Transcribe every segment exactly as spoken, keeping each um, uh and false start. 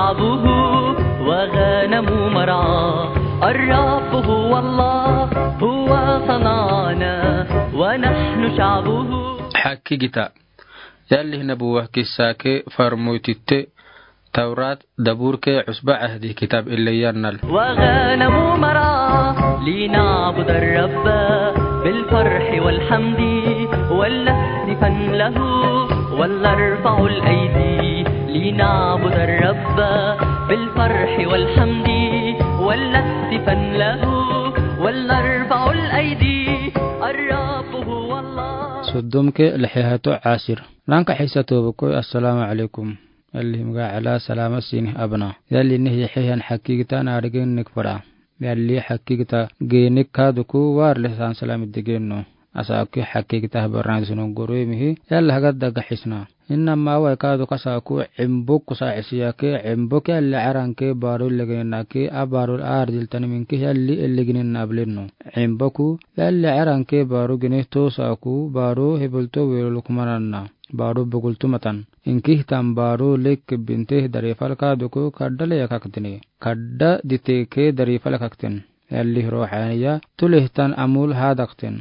شعبه وغنم مرعاه، الرب هو الله، هو صنعنا ونحن شعبه. Hakkigita. Yalli Nabuwa kissa ke farmoytitte Tawrat, Dabur ke Usba Ahdi kitab ille yannal. وغنم مرعاه، لنعبد الرب بالفرح والحمد، ولنهتفن له، ولنرفع الأيدي، لنعبد الرب بالفرح والحمد، ولنهتفن له، ولنرفع الأيدي، الرب هو الله. Soddom ke lixi hato Asir. Ranka xisa tobo ko, assalaamu alaykum. Yalli himga ala salama sini abna. Yalli nih yaxehan hakkigita na arigin nik fara. Yalli hakkigita geenik kaaduku war leh san salami digin no. Asa aku hakkigita habar na dusunu goro mihi. Yalli hagadda gaxisna. Inna ma wa kaaduku asa aku Embuk kusa xisiya ke Embuk yalli aran ke baru legin na ke a baru ardil tani minki yalli elegin na ablen no. Embuku yalli aran ke baru gini to asa aku baru hebel to welo lukmananna. Baru bugul tumatan. Inkih tan baru lek binte dari falka duku kadda le yakaktene. Kadda dite ke dari falkakten. Yalli rohaniya tuleh tan amul hadakten.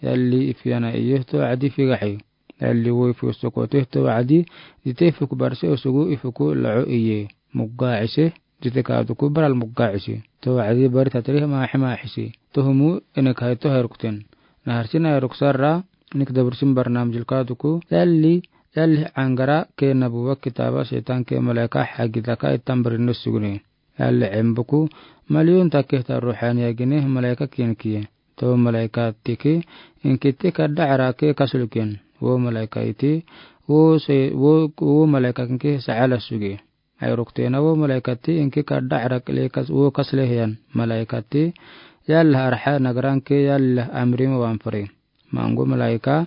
Yalli ifiyana iye to adi figaxi. Yalli wo ifu sokoteh to adi dite fuk barse osugu ifuku lao iye. Mugga ise. Jite kaaduku baral mugga isi. To adi bari tatrih maaxi maaxisi. Tohumu ene kaito hayrukten. Na harsi na hayruk sarra nik dabursin barnam jil kaaduku. Yalli, yalli angara ke nabuwa kitaba setan ke malaika hagidaka itan barinno sugune. Yalli embuku maliyun takeh ta ruhaniya gine malaika kinki. To malaika tiki inki tika daara ke kasulukin. Wo malaika iti, wo se, wo, wo malaika kinki saala sugi. Ayruktena wo malaikati inki kadda arak lekas wo kaslehiyan. Malaikati yallah arha nagaranke yallah amrim wanfari. Mangu malaika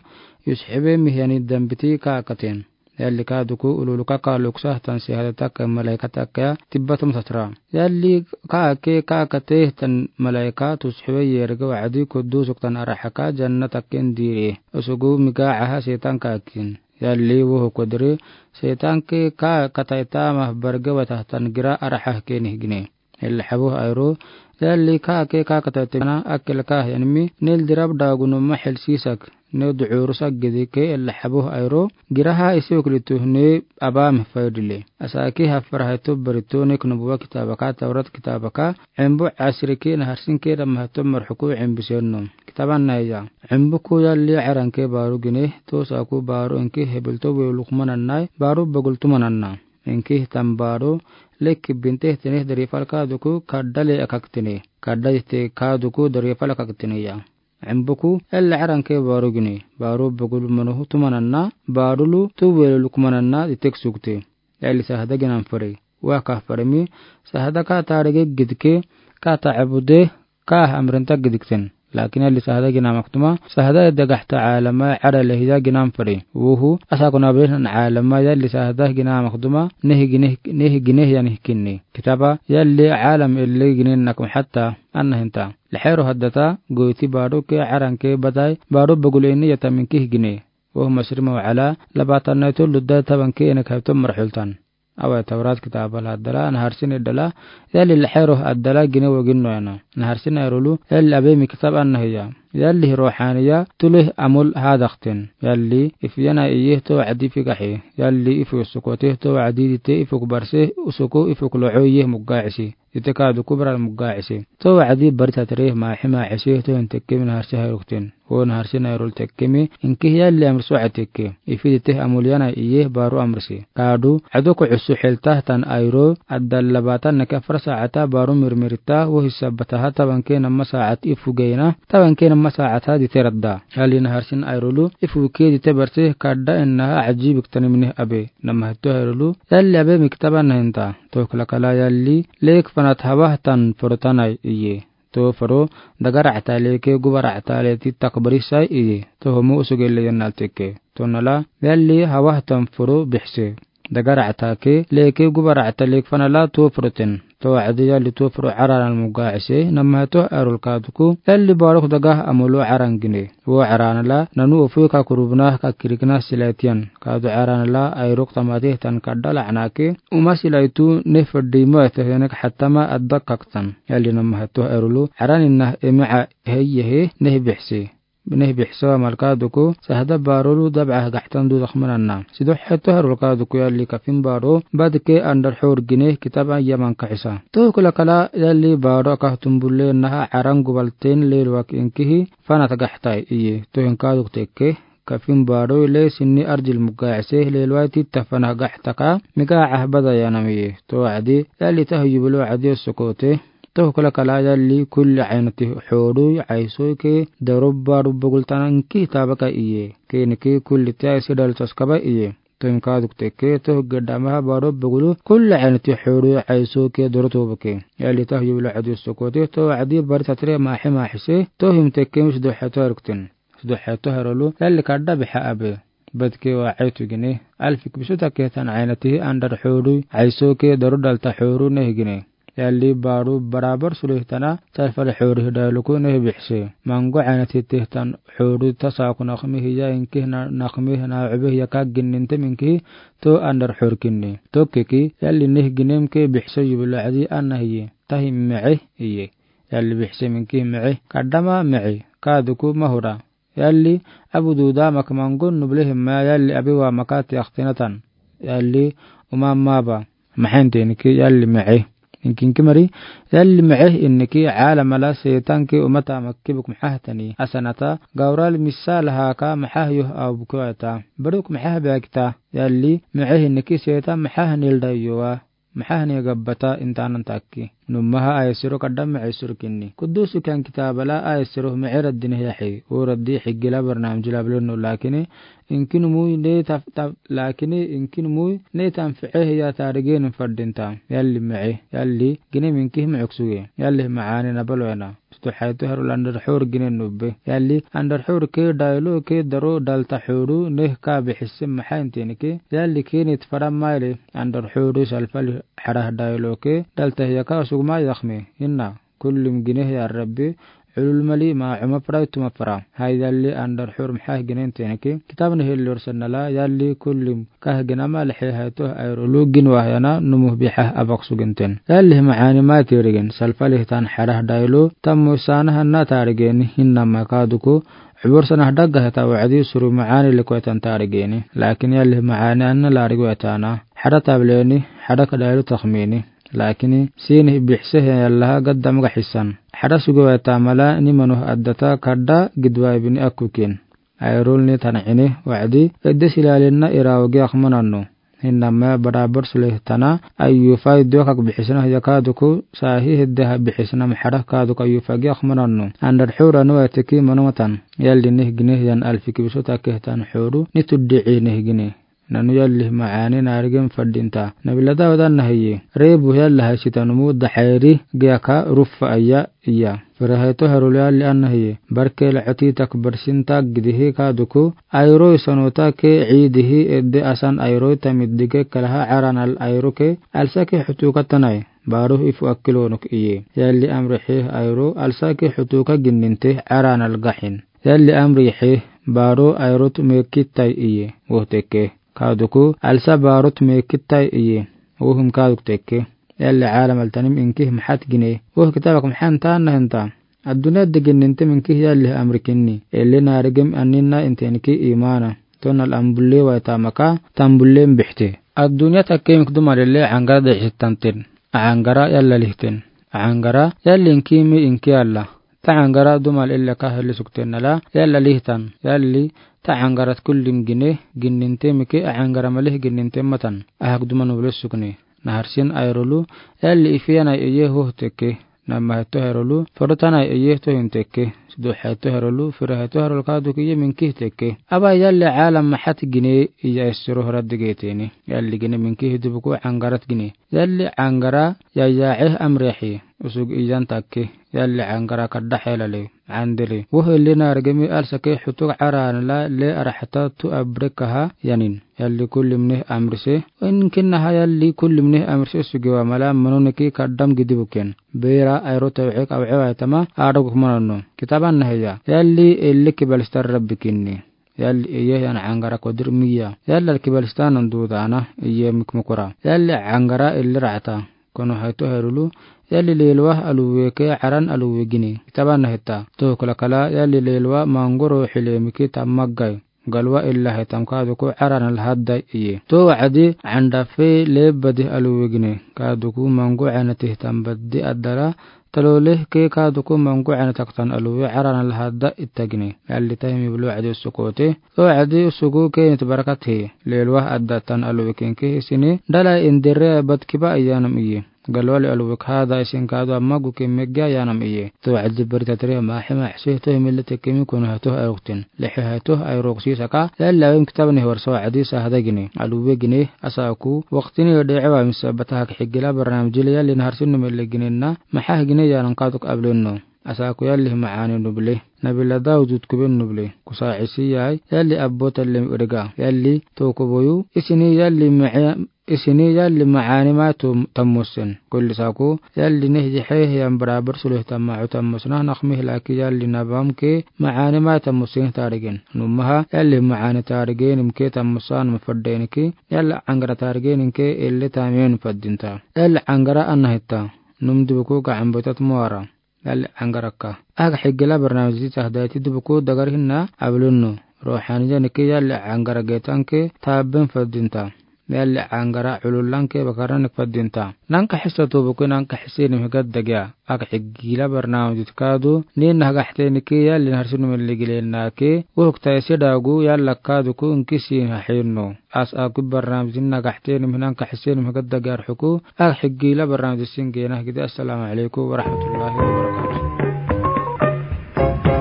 yusxibe mihyani dambiti kaakaten. Yalli kaaduku ululuka kaaluksa tan sihada taka malaika taka tibbatum satra. Yalli kaake kaakate tan malaika tusxibe yerge wacdi kudusuk tan arhaka janna taken diri. Usugu miga aha setan kaakin. Yalli woho kodri setan ke kaakataitama barge watahtan gira arhah ke nihgine. Ella xabuh ayro yalli kaake kaakataitama akil kaah yanmi nil dirab dagunuma xil sisak. Nil ducurusak gidi ke ella xabuh ayro giraha isi uklitu ne abam faydile. Asaki hafar hayto barito nik nubuwa kitabaka tawrat kitabaka embu asriki na harsin ke dam hayto marxuku embu senno. Kitaban naya. Embuku yalli aranke baru gine, to saku baru inki hebilto we lukmanannai, baru bagultumananna. Inki hitan baru, lek binte tene dari falka duku kadda le akaktene. Kadda ite ka duku dari falka ktene ya. Embuku yalli aranke baru gine, baru bagul manuhu tumananna, baru lu tu we lukmananna ditek sukte. Yalli sahada ginan fari. Wa ka farimi, sahada ka tarege gidke, ka ta abude, ka amrenta gidkten. Lakin yalli sahada gina maktuma, sahada dagahta alama ada lehiya ginan fari. Wuhu, asa kuna behen alama yalli sahada gina maktuma, nehi gine, nehi gine yani kinni. Kitaba, yalli alam ille gine nakum hatta, anna hinta. Lexero haddata, goiti baru ke aranke badai, baru bagul ini yatamin kih gine. Wuhu masrima wa ala, labatan naitu ludda taban ke ene kaito marxultan. Awa tawrat kitaba la addala, na harsin iddala, yalli lexero addala gine wagin noyana. Na harsin ayrulu, yalli abemi kitab anna hiya. Yalli rohaniya, tuleh amul hadakten. Yalli, ifiyana iye to adi figaxi. Yalli ifu sukote to adi dite ifuk barse, usuku ifuk lo'o iye mugga isi. Ite ka duku baral mugga isi. To adi bari tatrih maaxi maaxisi to hin tekkemi na harsi hayrukten. Wo na harsi nayrul tekkemi, inki yalli amr su'a tekke. Ifi dite amul yana iye baru amrsi. Kadu, adu ku usu xiltah tan ayro, addal labatan naka far saata baru mirmirta, wo hisabataha taban ke nama saat ifu geyna, taban ke nama saata dite radda. Yalli na harsin ayrulu, ifu ke dite barse, kadda innaha ajibik tanimnih abe. Nama hito ayrulu, yalli abemi kitaba na hinta. To kala kala yalli, lek fanat hawah tan forotanai iye. To foro, dagara atale ke gubara atale ti takbari sai iye. To homo usugele yannal tekke. To nala, yalli hawah tan foro bihse. Daga raacata ke, leeke guba raacata leek fana la tofroten. Too wacdi yalli tofro caranal mugacise, namma he toh aerol kaaduku, yalli baarok daga amolo caran gine. Woo carana la, nanu ofoi ka kurubna ka kirikna silaitiyan. Kaadu carana la, aerok tamate tan kadda lacana ke, uma silaitu ne fadimo ete henek xatama adda kaktan. Yalli namma he toh aerolu, caran inna emica heyehe ne bixse. Neh bixse wa mal kaaduku, sahda baarolu dabca gaxtan du dakmanana. Sido he toh aerol kaaduku yalli kafin baaro, badke andar xoor gine kitab an yaman kaxisa. Toh kula kala yalli baaro ka tumbulle naha caran gubalten leelwak inkihi, fanat gaxtai iye. Toh hin kaaduk tekke, kafin baaro le sinni arjil mugacise leelwai titta fanat gaxtaka, miga cah bada yanam iye. Too wacdi, yalli tah yubilo wacdi osokote. Toh kula kala yalli kulli caynati xoorui caysoke daro baaro bogultana inkihi taabaka iye. Keeniki kulli tiya isi dal taskaba iye. Toh hin kaaduk tekke toh gedamaha baaro bogulu kulli caynati xoorui caysoke daro toobake. Yalli tah yubilo wacdi osokote too wacdi bari tatire maaxe maaxise toh hin tekke mis doxe toh aerokten. Sido he toh aerolu yalli kadda bixa abe. Badke wa caytu gine. Alfik bisu take tan caynatihi andar xoorui caysoke daro dalta xooru neh gine. Yalli baaro barabar sulih tana, talfal xoorihi dayluku neh bixse. Mango caynatihi tan xooru tasaku nakmihi ya inkihi na-, nakmihi na cube ya ka ginnintem inkihi too andar xoor kinni. Tokkeki, yalli neh ginem ke bixse yubilo wacdi anna hiye. Tahi mece iye. Yalli bixse minkihi mece. Kadama mece. Kaaduku mahura. Yalli abu duda mak mangon nuble himma yalli abi wa maka tiaktinatan. Yalli uma maba. Maxen teniki yalli mece. Inkinki mari, yalli mece inniki caalamala seetanki umata makki buk maxahtani. Asanata, gawral misa lahaka maxah yoh au bukwata. Baruk maxah bakta, yalli mece inniki seetan maxah nilda yowa. Maxahne gabbata intanan takki. Nummaha ayesiro kadam mece sirkinni. Kudusu kan kitaabala ayesiro mece raddine yaxi. O raddi xigila barnaamijila bilonno lakini inkinumui ne taf-, taf-, lakini inkinumui ne tanficehe ya taarigenin fardinta. Yalli mece. Yalli gine minkihi mece kusuge. Yalli macaani nabalo ena. Sido he toh aerol andar xoor ginen nubbe. Yalli andar xoor ke daylo ke daro dalta xooru neh ka bixise maxen teniki. Yalli kinit fara maile andar xooru salfali xarah daylo ke dalta hiyaka sugma yakme. Inna. Kullim gine ya Rabbi. Culul mali ma cuma fara ituma fara. Hay yalli andar xoor maxah ginen teniki. Kitabni hillor sanala yalli kullim Kah gina ma lexe he toh aerolu gin wahyana numuh bixah abak suginten. Yalli macaani ma tirigin salfalih tan xarah daylo tammu saanah anna taarigeni hinna ma kaaduku. Cubur sanah dagga heta wacdi suru macaani likwetan taarigeni. Lakin yalli macaani anna laarigwetana. Xadha tableni, xadha ka daylo takmini. Lakini sinih bixse he yallaha gadda magaxisan. Xadha sugewetamala nimanuh addata kadda gidwaybini akkukin. Aerolni tana cine wacdi edde silaalinna iraawagi akmananno. Hinna ma barabar sulih tana ayufai dokak bixisna ya kaaduku saahi heddeha bixisna maxadha kaaduk ayufagi akmananno. Andar xoorani waiteki manumatan. Yalli nih gine yan alfiki bisu takeh tan xooru ni tuddici nih gine. Nanu yalli macaani naarigin fadinta. Nabila Dawud anna hiye. Reebu yalla haysitanumu daxayri giyaka ruffa aya iya. Fira he toh aerol yalli anna hiye. Barke la coti tak barsinta gidihi kaaduku. Ayroi sanota ke ciidihi edde asan ayroi tamiddige kalaha caranal ayro ke alsa ke xutuka tanai. Baaruh ifu akkilonuk iye. Yalli amri xih ayro alsa ke xutuka ginninte caranal gaxin. Yalli amri xih baaro ayrot meekittai iye. Woh teke. Kaaduku alsa baarot meekittai iye. Wohim kaaduk teke. Yalli caalamal tanim inkih maxat gine. Woh kitaabak maxan taanna hinta. Adduniyadde ginnintem inkih yalli amri kinni. Elle naarigem aninna inte inki imaana. Tonal ambulle waytamaka tambulle mbixte. Adduniya takkemik dumal elle caŋgara dicitanten. Acaŋgara yalla lihten. Acaŋgara yalli inkimi inki alla. Tacaŋgara dumal elle ka heli sukten nala yalla lihtan. Yalli tacaŋgarat kullim gine ginnintemike acaŋgara malih ginnintem matan. Ahak dumal nuble sukne. Naharsin ayrolu yalli ifiyanai eye hoh teke. Namma he toh aerolu foro tanai eye tohin teke. Sido he toh aerolu fira he toh aerol kaaduk iye minkih teke. Aba yalli caalam maxat gine iya essiro horaddigeteni. Yalli gine minkih dubuku caŋgarat gine. Yalli caŋgara yayaace amriyaxi. Usug iyan takke. Yalli caŋgara kadda xeelale. andili. Woh, ili naargeme alsake hutuk arana la le arahata tu abrekaha yanin. Yalli kulli mine amrise. Inkinnaha yalli kulli mine amrise sugiwa mala manoneki kaddam gidi buken. Beira ayro tawxik awxewa itama adog kumanono. Kitaban nahiya. Yalli ili kibalista Rabbikinni. Yalli iye yan angara kodir miya. Yalli alkibalistanan dudana iye mikmukura. Yalli angara ili rata. Kono hayto hayrulu. Yalli lelwa aluweke aran aluwe gine. Kitaban nahita. Toh kala kala yalli lelwa mangoro hile miki tamaggai. Galwa illa hitam kaduku aran alhadda iye. To wacdi andafe lebadi aluwe gine. Kaduku mangu anati hitam badi adara. Taloleh ke kaduku mangu anataktan aluwe aran alhadda itagine. Yalli tahimi bulu wacdi usukote. To wacdi usuku ke nit barakat he. Lelwa addatan aluwe kenke hisini. Dala indire bad kiba iyanam iye. Galwa le aluwe kahada isin kadu amma guke megga yanam iye. To wacdi bari tatriya mahi mahsi to himile tekemi kono hato ayruktin. Lehe hato ayruk sisaka. Yalli awem kitab ni hwarsa wacdi sahada gine. Aluwe gine asaku. Waqtini de'ewa misa bata hak higila barnamijile yalli naharsin numele gine na. Maha gine yanan kaduk ablenno. Asaku yalli maani nuble. Nabila Dawud kuben nuble. Kusa isi yai. Yalli abbo tallem iriga. Yalli toko boyu. Isini yalli ma'a Isini yalli maani ma tammusen. Kulli saku, yalli neh jihe hiyan barabar sulih tamma u tammusna, naqmih laki yalli nabam ke maani ma tammusen tarigen. Nummaha, yalli maani tarigen imke tammusan mafaddenki, yalli angara tarigen inke illi tamen faddinta. Yalli angara anahita. Num dibuku gacan botat muara. Yalli angaraka. Aga higila barnamij di tahdaiti dibuku dagar hinna ablunnu. Ruhaniya niki yalli angara getanke taben faddinta. Yalli angara ululanke bakarna nik faddinta. Nanka hisa tubuku nanka hisi nim higad dagya. Aga higila barnamij di kadu. Ni nahagahte niki yalli naharsin mili gile nake. Uhuk taisi dagu yalla kaduku inkisi hahinnu. As aku barnamij di nahagahte nim hinanka hisi nim higad dagya arhuku. Aga higila barnamij di singe nahagide. Assalamu alaikum warahmatullahi wabarakatuh.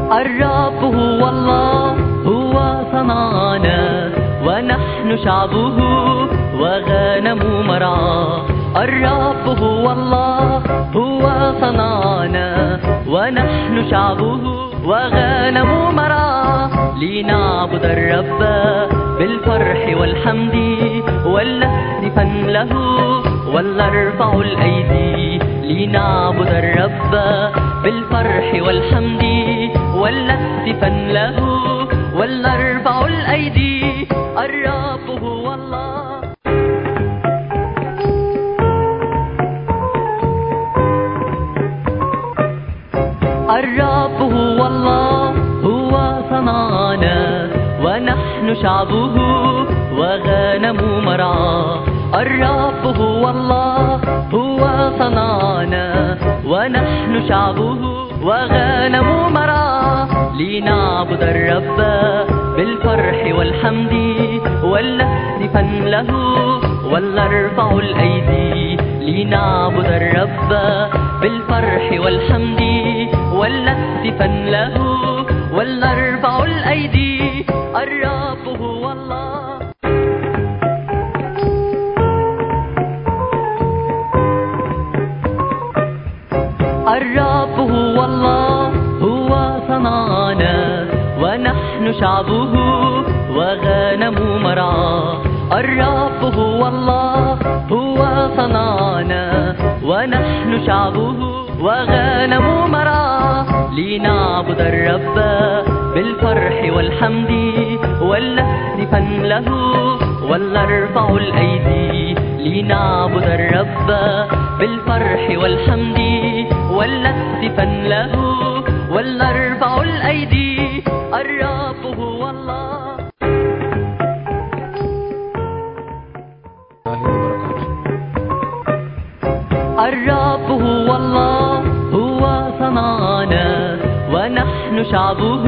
الرب هو الله، هو صنعنا، ونحن شعبه وغنم مرعاه. الرب هو الله، هو صنعنا، ونحن شعبه وغنم مرعاه. لنعبد الرب بالفرح والحمد، ولنهتفن له، ولنرفع الأيدي. لنعبد الرب بالفرح والحمد، ولنهتفن له، ولنرفع الأيدي. الرب هو الله. الرب هو الله، هو صنعنا، ونحن شعبه وغنم مرعاه. الرب هو الله، هو صنعنا، ونحن شعبه وغنم مرعاه. لنعبد الرب بالفرح والحمد، ولنهتفن له، ولنرفع الأيدي. لنعبد الرب بالفرح والحمد، ولنهتفن له، ولنرفع الأيدي. الرب هو الله. الرب هو الله، هو صنعنا، ونحن شعبه وغنم مرعاه. الرب هو الله، هو صنعنا، ونحن شعبه وغنم مرعاه. لنعبد الرب بالفرح والحمد، ولنهتفن له، ولنرفع الأيدي. لنعبد الرب بالفرح والحمد، ولنهتفن له، ولنرفع الأيدي. الرب هو الله. الرب هو الله، هو صنعنا، ونحن شعبه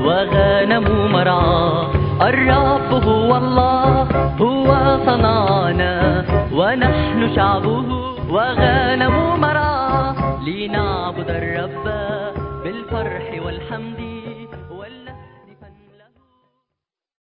وغنم مرعاه. الرب هو الله، هو صنعنا، ونحن شعبه وغنم مرعاه. لنعبد الرب بالفرح والحمد.